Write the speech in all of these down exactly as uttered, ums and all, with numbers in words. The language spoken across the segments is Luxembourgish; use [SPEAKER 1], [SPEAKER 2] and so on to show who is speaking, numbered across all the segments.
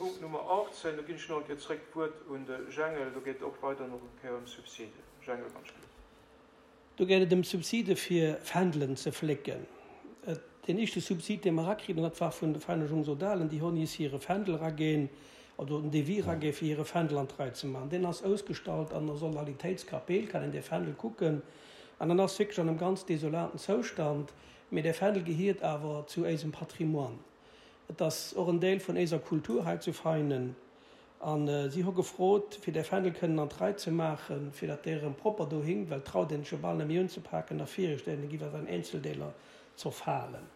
[SPEAKER 1] Punkt Nummer achtzehn, do ginn ech nach eng Kéier zréck d'Wuert un de Jengel, do geet et och weider nach eng Kéier ëm Subside. Jengel, ganz schnell.
[SPEAKER 2] Do geet et ëm Subside fir Fändelen ze flécken. Deen éischte Subsid, dee mer erakritt hunn, dat war vun de Vereine Jungsodalen, déi hunn is hire Fändel eraginn, oder en Devis eraginn, fir hire Fändel an d'Rei ze maachen. Deen ass ausgestallt an der Sodalitéitskapell, kann een dee Fändel kucken. An en ass wierklech an engem ganz desolaten Zoustand. Mee dee Fändel gehiert awer zu éisem Patrimoine. Et ass och en Deel vun éiser Kultur hei zu Veinen. A si hu gefrot, fir dee Fändel kënnen an d'Rei ze maachen, fir datt dee erëm propper do hinkt, well traut een sech jo bal net méi unzepaken a virestellen, da giff awer an Eenzeldeeler zerfalen.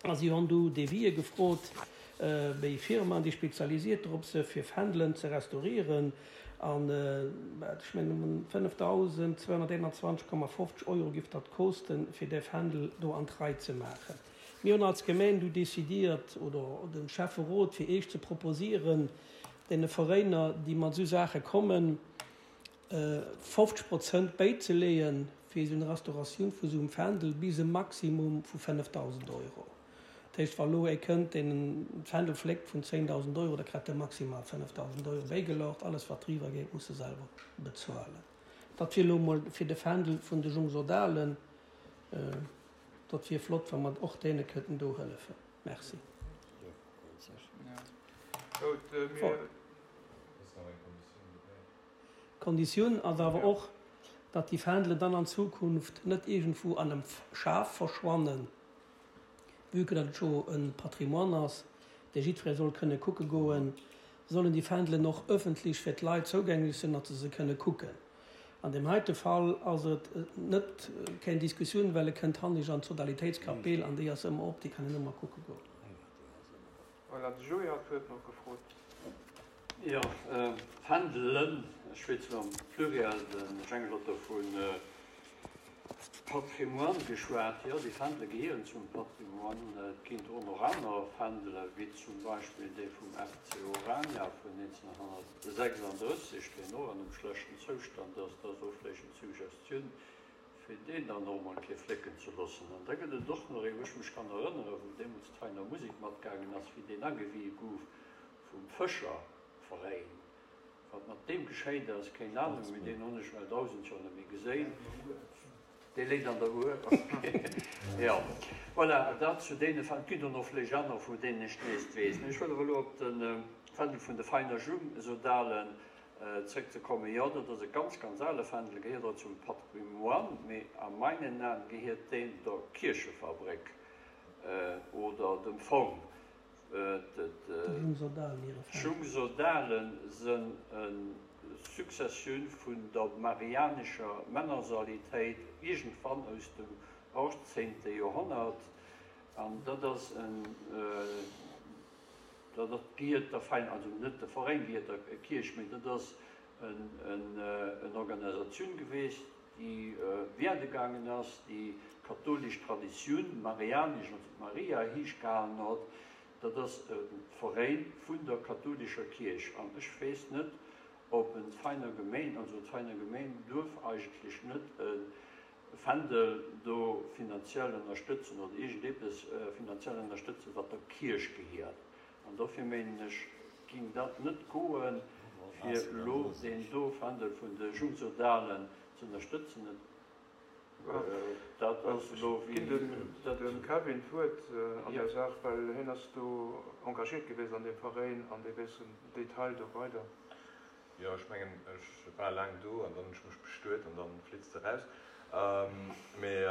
[SPEAKER 2] A si hunn du Devisë gefrot béi Firmaen, déi spezialisiert drop si fir Fändelen ze restaurieren. An ech mengen fënnefdausendzweihunnerteenanzwanzeg Komma fofzeg Euro giff dat kosten, fir dee Fändel do an d'Rei ze maachen. Mir hunn als Gemeng du décidiert, oder de Schäfferot, fir Iech ze proposieren, deene Veräiner, déi mat esou Saache kommen, fofzeg Prozent bäizeleeën fir esou eng Restauratioun vu esou engem Fändel bis e Maximum vu fënnefdausend Euro. Dat heescht, wa elo ee kënnt, deen e Fändel fléckt vun zéngdausend Euro, da kritt e maximal fënnefdausend Euro bäigelaucht. Alles, wat driwwer geet, muss e selwer bezuelen. Dat wier elo emol fir de Fändel vun de Jungsodalen. Dat wier flott, wa mer och deene kënnten do hëllefen. Merci. D'Konditioun ass awer och, datt déi Fändelen dann an Zukunft net iergendwou an engem Schaf verschwannen, vue que datt et scho e Patrimoine ass, dee jiddweree soll kënne kucke goen, sollen déi Fändelen och ëffentlech fir d'Leit zougänglech sinn, datt se se kënne kucken. An deem heite Fall ass et net keng Diskussioun, well e kënnt hannig an d'Sodalitéitskapell an déi ass ëmmer op, déi kann een ëmmer kucke goen.
[SPEAKER 1] Voilà, de Joé hat d'Wuert nach gefrot.
[SPEAKER 3] Jo, Fändelen, ech schwätzen am Pluriel, de Jengel huet do vu Patrimoine geschwat. Jo, déi Fändele gehieren zum Patrimoine. Et ginn och nach aner Fändele wéi zum Beispill dee vum F C Orania vun neunzehnhundertsechsunddrësseg, deen och an engem schlechten Zoustand ass. Dat ass och vläicht eng Suggestioun, fir deen dann och emol eng Kéier flécken ze loossen. An da gëtt et och nach ee, wou ech mech kann erënneren, wou deemools d'Veiner Musek matgaangen ass, wéi deen agewie gouf vum Fëscherveräin. Wat mat deem geschéit ass, keng Ahnung, mee deen hunn ech well dausend Joer net méi geséin. Dee léit an der Uhr. Jo, voilà, dat zu deene Fäll. Et ginn der nach vläicht aner, vun deenen ech näischt weess. Mee ech wëll awer elo op de Fändel vun de Veiner Jungsodalen zréckzekommen. Jo, dat ass e ganz, ganz ale Fändel, gehéiert och zum Patrimoine, mee a meinen Aen gehéiert deen der Kierchefabréck oder dem Fong. D'Jungsodalen sënn e Successioun vun der marianescher Männersalitéit, iergendwann aus dem achtzehnte Joerhonnert, an dat ass en, dat gehiert der Veräin, also net de Veräin gehiert der Kierch, mee dat ass en Organisatioun geweest, déi wäerde gaangen ass, déi katholisch Traditioun, marianesch, also d'Maria heesch gehalen huet. Dat ass e Veräin vun der katholischer Kierch. An ech weess net, ob en Veiner Gemeen, also d'Veiner Gemeen duerf eigentlech net e Fändel do finanziell ënnerstëtzen oder iergendepes finanziell ënnerstëtzen, wat der Kierch gehiert. An dofir menen ech, ging dat net goen, fir elo deen do Fändel vun de Jungsodalen ze ënnerstëtzen. Dat ass elo
[SPEAKER 1] wéi
[SPEAKER 3] Ginn
[SPEAKER 1] dem
[SPEAKER 3] dat
[SPEAKER 1] dem Kevin d'Wuert an
[SPEAKER 3] Ja.
[SPEAKER 1] der Saach, well hien ass do engagiert gewiescht an deem Veräin an dee weess den Detail do weider.
[SPEAKER 4] Jo, ech mengen, ech war laang do an dann hunn ech mech bestuet an dann flitzt de raus. Mee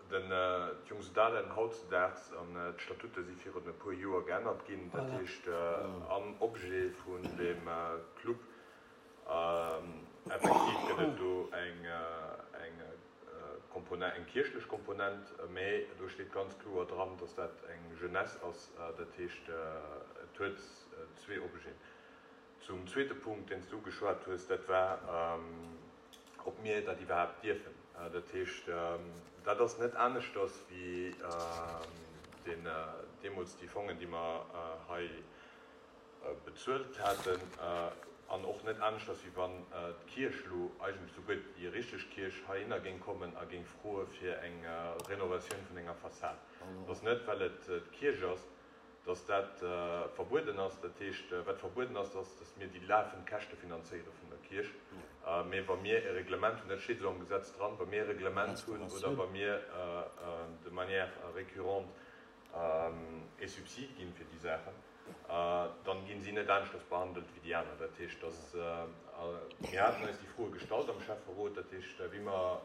[SPEAKER 4] den d'Jungsodalen hautzedaags an d'Statute si virun e puer Joer geännert ginn, dat
[SPEAKER 2] Voilà.
[SPEAKER 4] heescht am Objet vun deem Club effektiv gëtt et do eng eng Komponent, eng kierchlech Komponent, mee do steet ganz kloer dran, dass dat eng Jeunesse ass, dat heescht et huet zwee Objeten. Zum zweete Punkt, deen s du ugeschwat hues, dat war, ob mir dat iwwerhaapt dierfen. Dat heescht, dat ass net aneschters wéi deen deemools déi Fongen, déi mer hei bezuelt haten, an och net aneschters, wéi wann d'Kierch elo eigentlech souguer déi richteg Kierch heihinner géing kommen a géing froe fir eng Renovatioun vun enger Fassad. Et ass net, well et d'Kierch ass, dass dat verbueden ass. Dat heescht, wat verbueden ass, ass, dass mir déi lafend Käschte finanzéiere vun der Kierch. Mee wa mir e Reglement hunn, dat steet esou am Gesetz dran, wa mir e Reglement hunn oder wa mir de manière récurrente e Subsid ginn fir déi Saachen, dann ginn si net aneschters behandelt wéi déi aner. Dat heescht, dass mir haten eis déi Froe gestallt am Schäfferot, dat heescht, wéi mer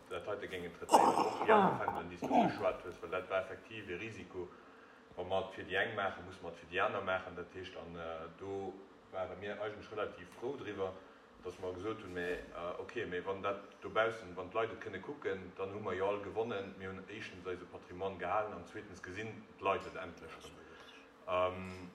[SPEAKER 4] dat heite géingen traitéieren, och déi aner Fändelen, déi s du ugeschwat hues, well dat war effektiv e Risiko. Wa mer et fir déi eng maachen, musse mer et fir déi aner maachen. Dat heescht, an do ware mir eigentlech relativ frou driwwer, dass mer gesot hunn, mä okay, mä wann dat dobaussen, wann d'Leit et kënne kucken, dann hu mer jo all gewonnen. Mir hunn éischtens eise Patrimoine gehalen an zweetens gesinn d'Leit et endlech erëm.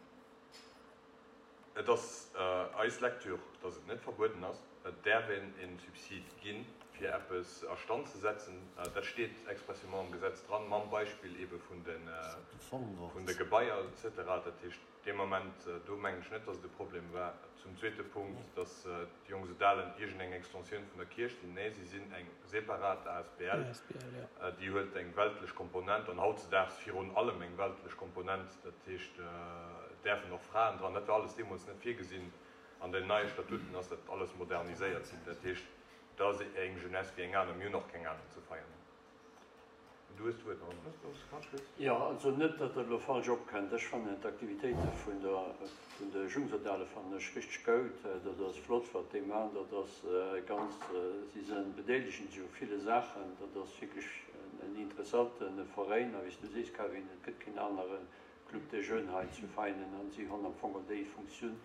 [SPEAKER 4] Et ass eis Lecture, dass et net verbueden ass. Et däerf een e Subsid ginn, fir eppes a Stand ze setzen. Dat steet expressément am Gesetz dran, mam Beispill eebe vun de Gebaier et cetera. Dat heescht, dee Moment do mengen ech net, dass et e Problem war. Zum zweete Punkt, dass d'Jongsedalen iergendeng Extensioun vun der Kierch sinn. Nee, si sinn eng separat asbl. Déi huet eng weltlech Komponent an hautzedaags virun allem eng weltlech Komponent. Dat heescht, et däerfen och Fraen dran. Dat war alles deemools net virgesinn. An den neie Statuten ass dat alles moderniséiert ginn. Dat heescht, dat ass eng Jeunesse wéi eng aner. Mir hunn och keng aner ze feiern. Du hues d'Wuert, Henri.
[SPEAKER 3] Jo, also net, datt dat elo falsch opkënnt. Ech fannen d'Aktivitéite vun der, vun de Jungsodale fannen ech richteg goud. Dat ass flott, wat déi maachen. Dat ass ganz, si se bedeelegen sech u ville Saachen. Dat ass wierklech en interessante Veräin. A wéi s du sees, Kevin, et gëtt keen anere Club des Jeunes hei zu Veinen. An si hunn am Fong och déi Funktioun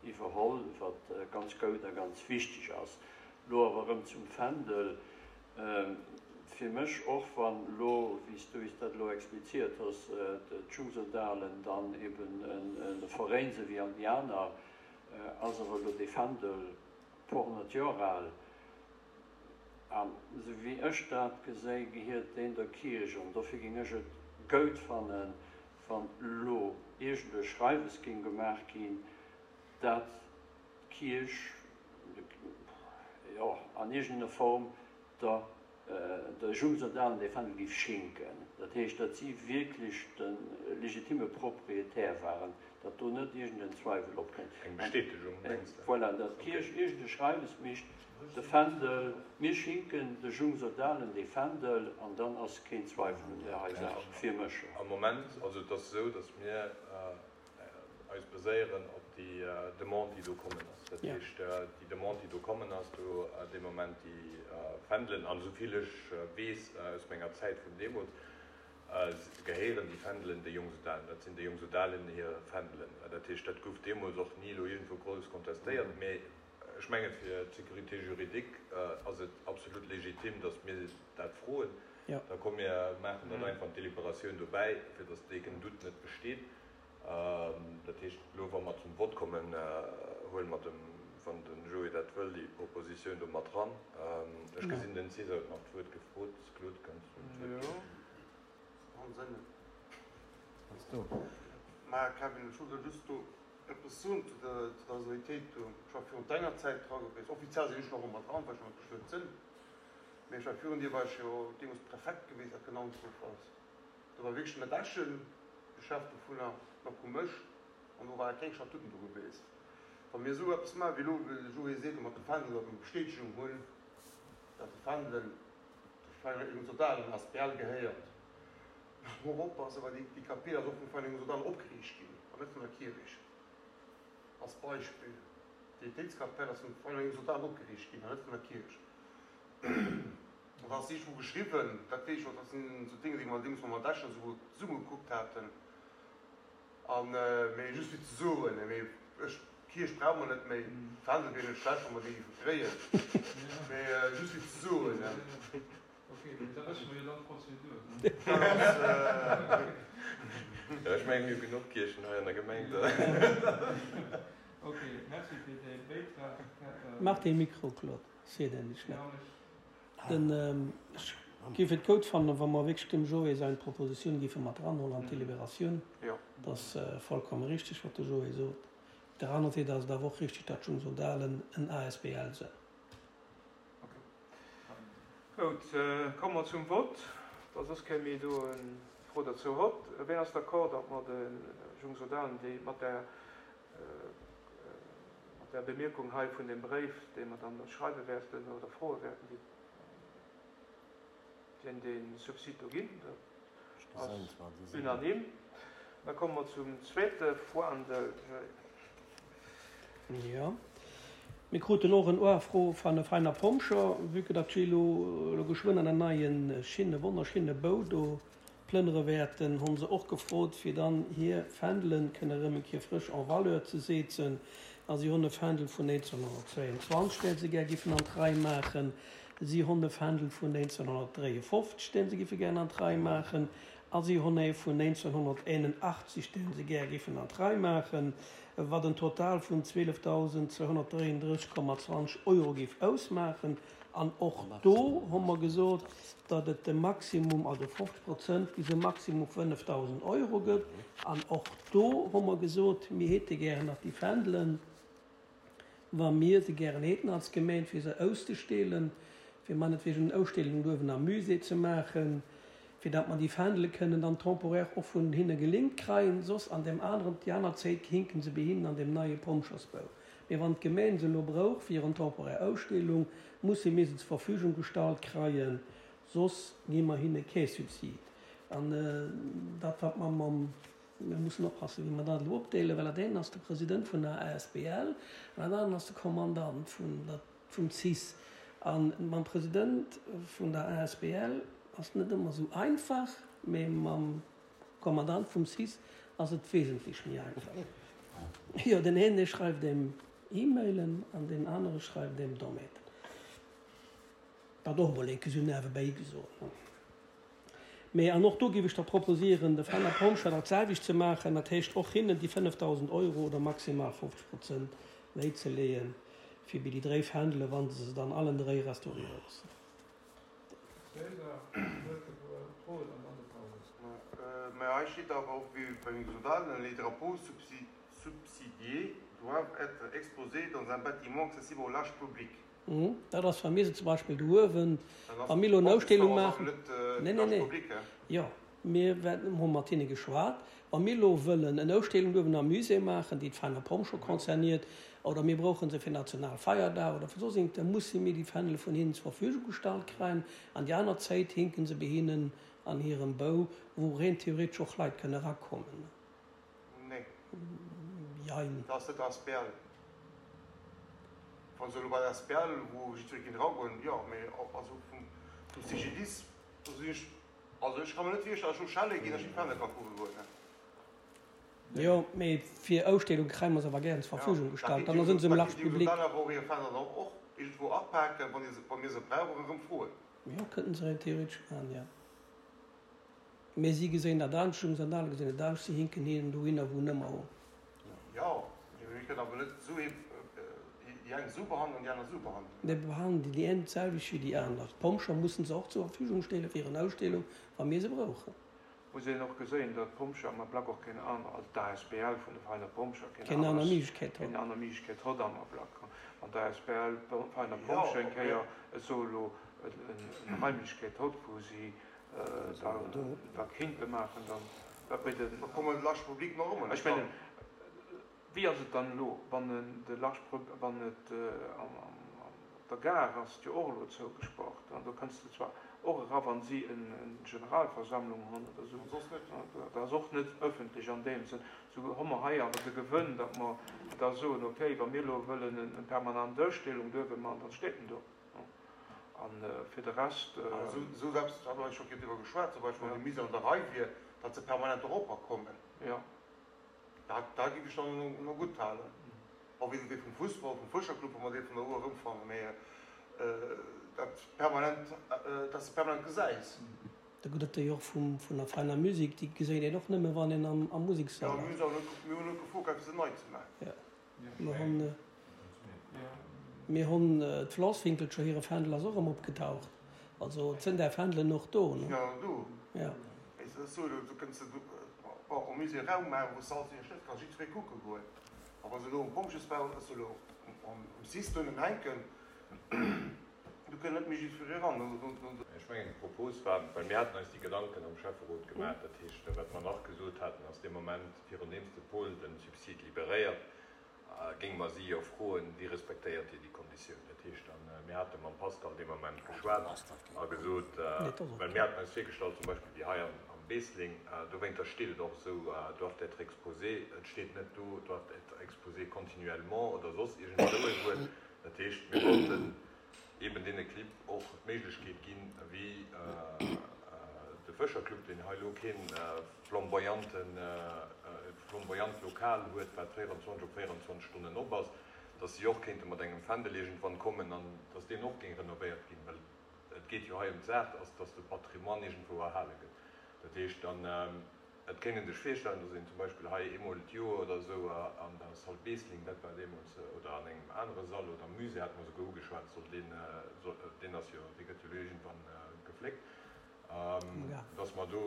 [SPEAKER 3] iwwerholl, wat ganz goud a ganz wichteg ass. Elo awer erëm zum Fändel. Fir mech, och wann elo, wéi s du eis dat elo expliziert hues, d'Jungsodalen dann eben e Veräin si wéi all déi aner, ass awer elo dee Fändel e puer honnert Joer al. An esou wéi ech dat geséi, gehiert deen der Kierch. An dofir géing ech et goud fannen, wann elo iergend e Schreiwes géing gemaach ginn, dat d'Kierch, jo, an iergendener Form der der Jungsodalen dee Fändel géif schinken. Dat heescht, datt si wierklech de legitime Proprietär waren, datt do net iergend en Zweiwel opkënnt.
[SPEAKER 4] Eng Bestätegung, mengs de?
[SPEAKER 3] Voilà, datt d'Kierch iergend e Schreiwes mécht, de Fändel, mir schinken de Jungsodalen dee Fändel, an dann ass keen Zweiwel un där hei Saach, fir mech.
[SPEAKER 4] Am Moment, also et ass esou, datt mir eis baséieren op déi Demande, déi do kommen ass. Dat heescht, déi Demande, déi do kommen ass, do dee Moment déi Fändelen, an esou vill ech weess aus menger Zäit vun deemools, gehéieren déi Fändelen de Jungsodalen. Dat sinn de Jungsodalen hir Fändelen. Dat heescht, dat gouf deemools och ni elo iergendwou grouss kontestéiert. Mee ech mengen, fir d'Sécurité juridique ass et absolut legitim, datt mir dat froen. Da komm mir maachen dat einfach an d'Deliberatioun dobäi, fir datt dee Doute net besteet. Dat heescht, elo wa mer zum Vott kommen, huele mer dem, wann de Joé dat wëll, déi Propositioun do mat eran. Ech gesinn, den César huet nach d'Wuert gefrot. Claude, kanns du em d'Wuert ginn?
[SPEAKER 5] Jo. Mä Kevin, ech wollt der just do eppes soen zu der Solidaritéit do. Ech war virun denger Zäit dra gewiescht. Offiziell sinn ech nach ëmmer dran, well ech nach net bestuet sinn. Mä ech war virun dir, war ech jo deemools Prefekt gewiescht, dat genannt gouf ass. Do war wierklech den Dechen de Chef dovunner, nach um Mësch, an do ware keng Statuten do gewiescht. Wa mir esou eppes maachen, wéi elo de Joé seet, mat de Fändel, datt mir Bestätegung hunn, datt de Fändel der Vereinigung Sodalen asbl gehéiert, muss mer och oppassen, well déi Kapell ass och vum Vereinigung Sodalen opgeriicht ginn an net vun der Kierch. Als Beispill, d'Pietéitskapell ass vum Vereinigung Sodalen opgeriicht ginn an net vun der Kierch. An da ass iergendwou geschriwwen, dat weess ech och, dat sinn esou Dénge, déi mer deemools mam Dechen esou zesumme gekuckt haten, an, mee just fir ze soen, mee ech, d'Kierch brauche mer net méi, d'Fändel wier net schlecht, wa mer déi géife kréien, mee just fir ze soen.
[SPEAKER 1] Ok, mee da wësse mer jo dann d'Prozedur, ne?
[SPEAKER 4] Jo, ech mengen, mir hu genuch Kierchen hei an der Gemeng.
[SPEAKER 1] Ok, merci fir däi Bäitrag.
[SPEAKER 2] Maach dee Mikro, Claude, ech seet en nicht schlecht. Den, ech géif et goud fannen, wa mer wierklech dem Joé säin Propositioun géife mat eranhuelen an d'Deliberatioun. Dat ass vollkomme richtig, wat de Joé sot. Op der anerer Säit ass et awer och richtig, datt d'Jungsodalen en asbl sinn.
[SPEAKER 1] Goud, komme mer zum Vott, da soss kréie mir do e Fro dozou hott. Ween ass d'accord, datt mer de Jungsodalen déi mat där, mat där Bemierkung hei vun deem Bréif, dee mer dann schreiwe wäerten oder froe wäerten, déi, deen dee Subsid do ginn? Dat ass unanime. Da komme mer zum zweete Fahndel.
[SPEAKER 2] Jo. Mir kruten och en Uafro van e feiner Pompscher, vue que datt si elo elo geschwënn an en neien schinne, wonnerschinne Bou do plënnere wäerten, honn se och gefrot, fir dann hir Fändelen kënne erëm eng Kéier frësch en valeur ze seezen. A si honn e Fändel vun néinzehnhonnertzweianzwanzeg, deen se gär giffen an d'Rei maachen. Si honn e Fändel vun néinzehnhonnertdréiefofzeg, deen se giffe gär an d'Rei maachen. A si honn ee vun néinzehnhonnerteenenachtzeg, deen se gär giffen an d'Rei maachen, wat en Total vun zwielefdausend zweehonnertdréienddrësseg Komma zwanzeg Euro géif ausmaachen. An och do hu mer gesot, datt et de Maximum, also fofzeg Prozent bis e Maximum fënnefdausend Euro gëtt. An och do hu mer gesot, mir hätte gären nach déi Fändelen, wa mir se gären hätten als Gemeng, fir se auszustellen, fir meinetwegen eng Ausstellung uewen am Musée ze maachen, fir datt mer déi Fändele kënnen dann temporaire och vun hinne geléint kreien, soss an deem aneren, déi aner Zäit hinken se bei hinnen an deem neie Pompjeesbau. Mee wann d'Gemeng se elo brauch fir eng temporaire Ausstellung, musse mir se zur Verfügung gestallt kreien, soss gi mer hinne kee Subsid. An dat wat mer mam, mir mussen oppassen, wéi mer dat elo opdeelen, well dat een ass de President vun der asbl an dat aneren ass de Kommandant vun der, vum cis. A mam President vun der asbl ass net ëmmer esou einfach, mee mam Kommandant vum cis ass et wesentlech méi einfach. Jo, den een dee schreift em E-Mailen an deen anere schreift em Domaiten. Dat och emol eng Kéier sou niewebäi gesot. Mee an och do géif ech da proposieren, de Fenner Pomscher dat selwecht ze maachen, dat heescht och hinnen déi fënnefdausend Euro oder maximal fofzeg Prozent méi ze leeën, fir bei déi dréi Fändele, wa se se dann allen dréi restauriere loossen.
[SPEAKER 1] César huet gefrot an dann de Paulus.
[SPEAKER 5] Mä hei steet awer och, wéi bei den Exodalen, Les drapeaux subsidiés doivent être exposés dans un bâtiment accessible au large public.
[SPEAKER 2] Dat ass, wa mir se zum Beispill do uewen, wa mir elo eng Ausstellung maachen. Nee, nee, nee. Jo, mir wäerten, hu mat hinne geschwat, wa mir elo wëllen eng Ausstellung uewen am Musée maachen, déi d'Veiner Pomm scho concerniert, oder mir brauche se fir Nationalfeierdag oder fir soss iergend, da musse mir déi Fändele vun hinnen zur Verfügung gestallt kréien. An déi aner Zäit hinke se bei hinnen an hirem Bou, wou rein theoretesch och Leit kënne erakommen.
[SPEAKER 5] Nee.
[SPEAKER 2] Jein.
[SPEAKER 5] Dat ass net asbl. Wa se elo bei der asbl, wou jiddweree kéint eragoen, jo, mee also vum C G D I S, do sinn ech, also ech ka mer net virstellen, datt ech elo schelle ginn, datt ech déi Fändele ka kucke goen.
[SPEAKER 2] Jo, mee fir Ausstellung kréie mer se awer gären zur
[SPEAKER 5] Ja,
[SPEAKER 2] Verfügung
[SPEAKER 5] da
[SPEAKER 2] gestallt.
[SPEAKER 5] kinnt
[SPEAKER 2] Dann
[SPEAKER 5] Dir
[SPEAKER 2] sinn se um
[SPEAKER 5] da
[SPEAKER 2] large
[SPEAKER 5] kinnt Dir
[SPEAKER 2] public.
[SPEAKER 5] dann awer och hir Fändelen och och iergendwou apaken, wann Dir se, wa mir se brauchen, erëm froen.
[SPEAKER 2] Jo, kënnten se rein theoretesch maachen, jo. Mee si geséin dat anescht, d'Jungsandale gesinn et anescht, si hinken hinnen dohinner, wou en ëmmer wor.
[SPEAKER 5] Jo, mee mir kënnen awer net esou ee, déi eng esou behandelen an déi aner esou behandelen.
[SPEAKER 2] Mir behandelen déi eng d'selwecht wéi déi aner. D'Pompscher mussen se och zur Verfügung stelle fir en Ausstellung, wa mir se brauchen.
[SPEAKER 1] Muss een och geséien, datt d'Pompscher am Ablack och keen aner, also d'A S B L vun de Veiner Pompscher, keen
[SPEAKER 2] Keen aner
[SPEAKER 1] aner,
[SPEAKER 2] Méiglechkeet
[SPEAKER 1] keen
[SPEAKER 2] hott.
[SPEAKER 1] Aner Méiglechkeet hott am Ablack. Wann d'A S B L Veiner
[SPEAKER 5] Jo,
[SPEAKER 1] Pompscher eng
[SPEAKER 5] ob
[SPEAKER 1] Kéier
[SPEAKER 5] mir.
[SPEAKER 1] esou elo eng Raimlechkeet hott, wou si da dat kinnte maachen, dann dat méi den.
[SPEAKER 5] Da komme large public nach ëmmer net
[SPEAKER 1] Ech mengen,
[SPEAKER 5] dran.
[SPEAKER 1] wéi ass et dann elo, wann en de large, wann et am, am, op der Gare ass et jo och elo zougespaart, an do kënns de zwar och era wann si eng Generalversammlung hunn oder esou,
[SPEAKER 5] An soss net.
[SPEAKER 1] Dat ass och net ëffentlech an deem Sënn. Sou hu mer hei awer de Gewënn, datt mer da soen, okay, wa mir elo wëllen eng permanent Ausstellung duerfe maachen, dann steet en do. An fir de Rest.
[SPEAKER 5] Esou, esou eppes, da hu mer scho driwwer geschwat, zum Beispill wann déi Mise an der Rei wier, datt se permanent eropper kommen.
[SPEAKER 1] Jo.
[SPEAKER 5] Dat, dat géif ech dann no gutt halen. Och wéi dee vum Fussball, vum Fëscherclub, wa mer dee vun der Our erëmfannen, mee dat permanent, dass de permanent gesäis.
[SPEAKER 2] Da gëtt et déi och vum, vun der Feiner Musik, déi geséit een och nëmme wann een am, am
[SPEAKER 5] Jo,
[SPEAKER 2] Musekssall
[SPEAKER 5] mir
[SPEAKER 2] ass.
[SPEAKER 5] hunn se mir hunn net gefrot, fir se nei ze maachen.
[SPEAKER 2] Jo. Mir hunn, mir hunn d'Flasswinkelcher, hire Fändel ass och erëm opgetaucht. Also et sinn där Fändelen och do, ne?
[SPEAKER 5] Sinn awer do.
[SPEAKER 2] Jo.
[SPEAKER 5] Mee et ass esou, do kënns de bon, am Musée Raum maachen, wou s de alles iwwer Schnëtt kanns jiddweree kucke goen. A wa se elo um Pompjesbau, also elo am Cis do hänken, Do kënnt net méi jiddweree eran.
[SPEAKER 4] Ech mengen, d'Propos war, well mir haten eis déi Gedanken am Schäfferot gemaach, dat heescht, wat mer nach gesot haten, ass, dee Moment, virun deem s de Paul de Subsid liberéiert, géinge mer si jo froen, wéi respektéiert Dir déi Konditioun? Dat heescht, a mir hate mam Pascal dee Moment geschwat a gesot, well mir haten eis virgestallt, zum Beispill déi hei am Beesling, dowéinter steet et och esou, doivent être exposées, et steet net do, doivent être exposées continuellement oder soss iergend esou e Wuert. Dat heescht, mir wollten eben deene Clibb och d'Méiglechkeet ginn, wéi de Fëscherclub, deen hei elo kee flamboyanten, flamboyant Lokal huet, wat véierundzwanzeg op véierundzwanzeg Stonnen op ass, dass si och kéinte mat engem Fändel iergendwann kommen an dass deen och géing renovéiert ginn, well et geet jo hei ëm d'Saach, ass, dass de Patrimoine iergendwou erhale gëtt. Dat heescht dann, et kéint een sech virstellen, dass een zum Beispill hei eemol d'Joer oder esou an der Salle Beesling, dat war deemools, oder an engem anere Sall oder am Musée hate mer souguer ugeschwat, soll deen, deen ass jo, dee gëtt jo elo iergendwann gefléckt, dass mer do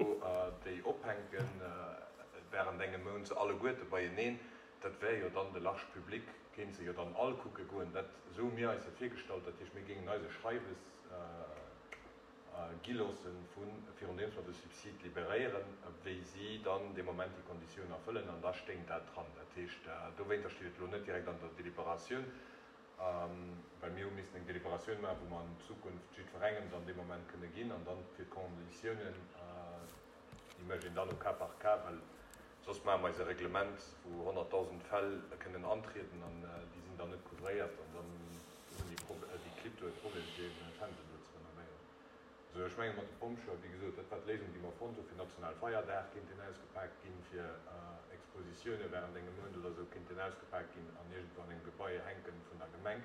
[SPEAKER 4] déi ophänken während engem Mount, se alleguerte beieneen. Dat wär jo dann de large public, kéint se jo dann all kucke goen. Dat, esou hu mir eis dat virgestallt. Dat heescht, mir géingen eis e Schreiwes gi loossen, vu virun deems mer de Subsid liberéieren, wéi si dann dee Moment déi Konditioun erfëllen, an da stéing dat dran. Dat heescht, dowéinter steet et elo net direkt an der Deliberatioun, well mir hu missen eng Deliberatioun maachen, wou mer an Zukunft jiddwerengem dann dee Moment kënne ginn, an dann fir d'Konditiounen, déi mécht een dann au cas par cas, well soss maache mer eis e Reglement, wou honnertdausend Fäll kënnen antrieden an déi sinn dann net couvréiert an dann hunn déi Clibb do e Problem, fir hire Fändel do ze renovéieren. Also ech menge mat de Pompjeeë, wéi gesot, dat war d'Léisung, déi mer fonnt hunn, fir Nationalfeierdag kéint deen ausgepaakt ginn, fir Expositioune während engem Mount oder esou kéint deen ausgepaakt ginn an iergendwou an engem Gebai hänken vun der Gemeng.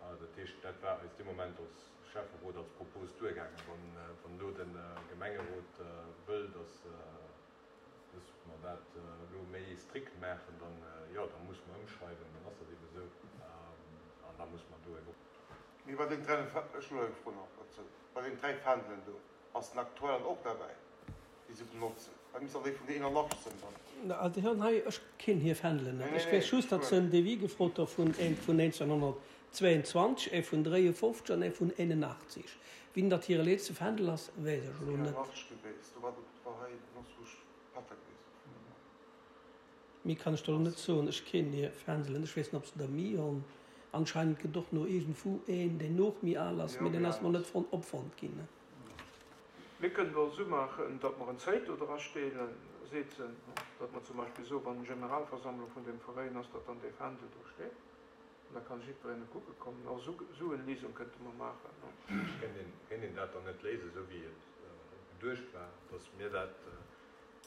[SPEAKER 4] Dat heescht, dat war eis dee Moment als Schäfferot als Propos duergaangen. Wann elo de Gemengerot wëll, datt mer dat elo méi strikt maachen, dann, jo, da musse mer ëmschreiwen, dann ass dat eebe esou an da musse mer do ebe.
[SPEAKER 5] Mee bei den dräi, ech elo eng Fro nach dozou, bei den dräi Fändelen do, ass den aktuellen och derbäi, déi se benotzen? Dat misst dann déi vun der Inner-Large sinn dann.
[SPEAKER 2] Also déi hunn hei, ech kinn hir Fändelen net. Ech weess just, datt se en Devis gefrot hu vun ee vun neunzehnhundertzweiundzwanzeg, ee vun dräiundfünfzig an ee vun einundachtzig. Wien datt hire letzte Fändel ass, weess ech elo net.
[SPEAKER 5] Inner-Large geweest, do war dat war hei Nosbusch Patter geweest.
[SPEAKER 2] Méi kann ech der elo net soen. Ech kinn hir Fändelen, ech weess net, ob se der méi hunn. Anscheinend gëtt och no iergendwou een, deen och méi al ass, mee deen ass nach net fonnt, opfonnt ginn.
[SPEAKER 1] Mir kënnen et och esou maachen, datt mer en Zéit do dra steelen, setzen, datt mer zum Beispill soen, wann Generalversammlung vun deem Veräin ass, datt dann dee Fändel do steet an da kann jiddwereen e kucke kommen. Och esou, esou en Liesung kënnte mer maachen.
[SPEAKER 4] Kéint een dat dann net léisen, esou wéi et geduecht war, datt mir dat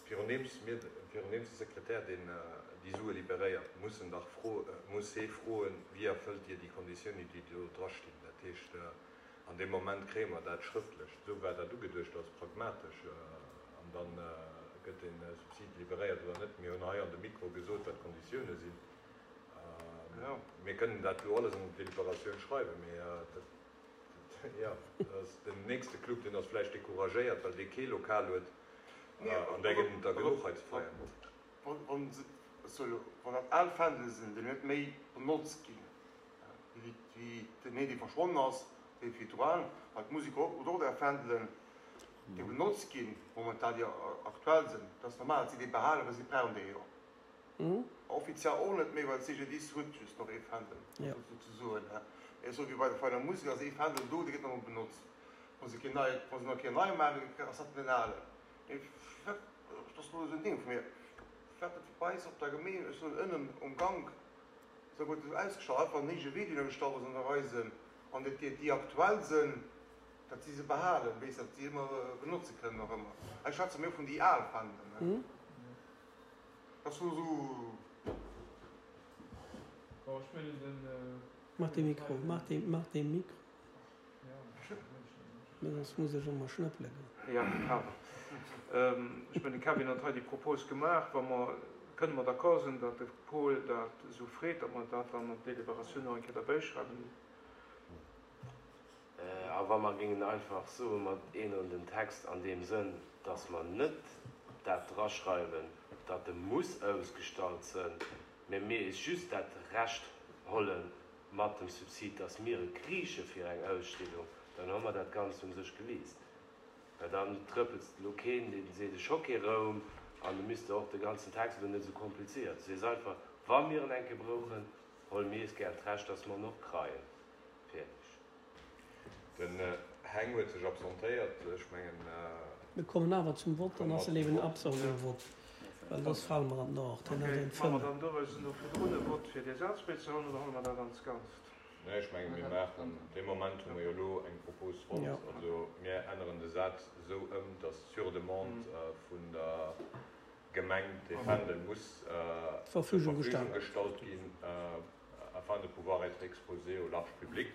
[SPEAKER 4] Virundeems mir, virundeems de Sekretär deen déi Sue liberéiert, muss en dach fro, muss hee froen, Wéi erfëllt Dir déi Konditiounen, déi do drastinn? Dat heescht, an deem Moment kréie mer dat schrëftlech. Esou war dat ugeduecht als pragmatesch. An da gëtt dee Subsid liberéiert oder net. Mir hunn hei an de Mikro gesot, wat d'Konditioune sinn. Mir kënnen dat elo alles an d'Deliberatioun schreiwen, mee dat, jo, dat ass den nächste Club, deen ass vläicht decouragéiert, well dee kee Lokal huet. An där gëtt et der genuch hei ze feieren.
[SPEAKER 5] Wann dat al Fändele sinn, déi net méi benotzt ginn, wéi den een, dee verschwonnen ass, dee virdru, well d'Musek huet och där Fändelen, déi benotzt ginn momentan, déi aktuell sinn. Dat ass normal, datt si déi behalen, well si brauchen déi jo. Offiziell och net méi, well d'CGDIS huet just nach ee Fändel, souzesoen. Mee esou wéi bei der Vereiner Musek ass ee Fändel do, dee gëtt nach emol benotzt. Wa se keen neie, wa se nach keen neie maachen, ass dat den alen. Mee wat, dat ass elo esou en Ding vu mir, wat et bei eis op der Gemeen, ech soen ënnen um Gank, esou gutt esou ausgestallt, einfach en héije Video gestallt ass an der Eisen, an dat déi, déi aktuell sënn, dat si se behalen, weess, dat si ëmmer benotze kënnen nach ëmmer. Ech schwätze méi vun déi al Fändelen, ne. Dat ass elo esou.
[SPEAKER 1] Bon, ech mengen den.
[SPEAKER 2] Maach de Mikro, maach de, maach de Mikro. Mä soss muss ech ëmmer schnëppele goen.
[SPEAKER 1] Jo, pardon. Ech mengen, de Kevin huet hei déi Propos gemaach. Wa mer, kënne mer d'accord sinn, datt de Paul dat esou freet, datt mer dat dann an d'Deliberatioun nach eng Kéier derbäischreiwen.
[SPEAKER 6] A wa mer géingen einfach soen, mer änneren den Text an deem Sënn, datt mer net dat draschreiwen, datt e muss ausgestallt sënn, mä mir eis just dat Recht hollen, mat dem Subsid, dass mir e kriiche fir eng Ausstellung, Dann hu mer dat Ganzt u sech geliest. Well dann trëppels de elo keen, deen seet, ech hu kee Roum, an du misst de och de ganzen Text elo net esou komplizéiert. Du sees einfach, wa mir en eng Kéier brauchen, huele mir eis gär d'Recht, dass mer en och kreien. Fäerdeg.
[SPEAKER 4] Den Heng huet sech absentéiert. Ech mengen.
[SPEAKER 2] Mir kommen awer zum Vott, dann ass en eben absent um Vott, well soss fale mer an d'Nord. Hien
[SPEAKER 1] huet eng
[SPEAKER 2] Fënnef.
[SPEAKER 1] Maache mer dann doraus elo virdrun e Vott fir dee Saz bäizehuelen oder huele mer dat als Ganzt?
[SPEAKER 4] Nee, ech menge mir maachen, dee Moment hu mer jo elo eng Propos fonnt. Also mir änneren de Saz esou ëm, datt sur demande vun der Gemeng dee Fändel muss zur
[SPEAKER 2] Verfügung
[SPEAKER 4] Verfügung gestallt ginn, afin de pouvoir être exposé au large public.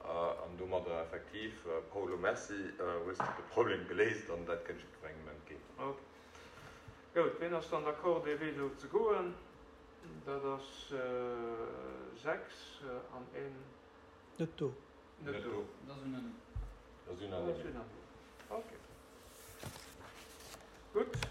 [SPEAKER 4] An domadder effektiv, Paolo, merci, hues de de Problem geléist an dat kënnt jiddwerengem entgéint.
[SPEAKER 1] Ok. Goud, ween ass dann d'accord, dee Wee do ze goen? Dat ass sechs an een.
[SPEAKER 2] Net do.
[SPEAKER 1] Net do.
[SPEAKER 7] Dat ass unanime.
[SPEAKER 4] Dat ass unanime.
[SPEAKER 1] Ok. Gutt.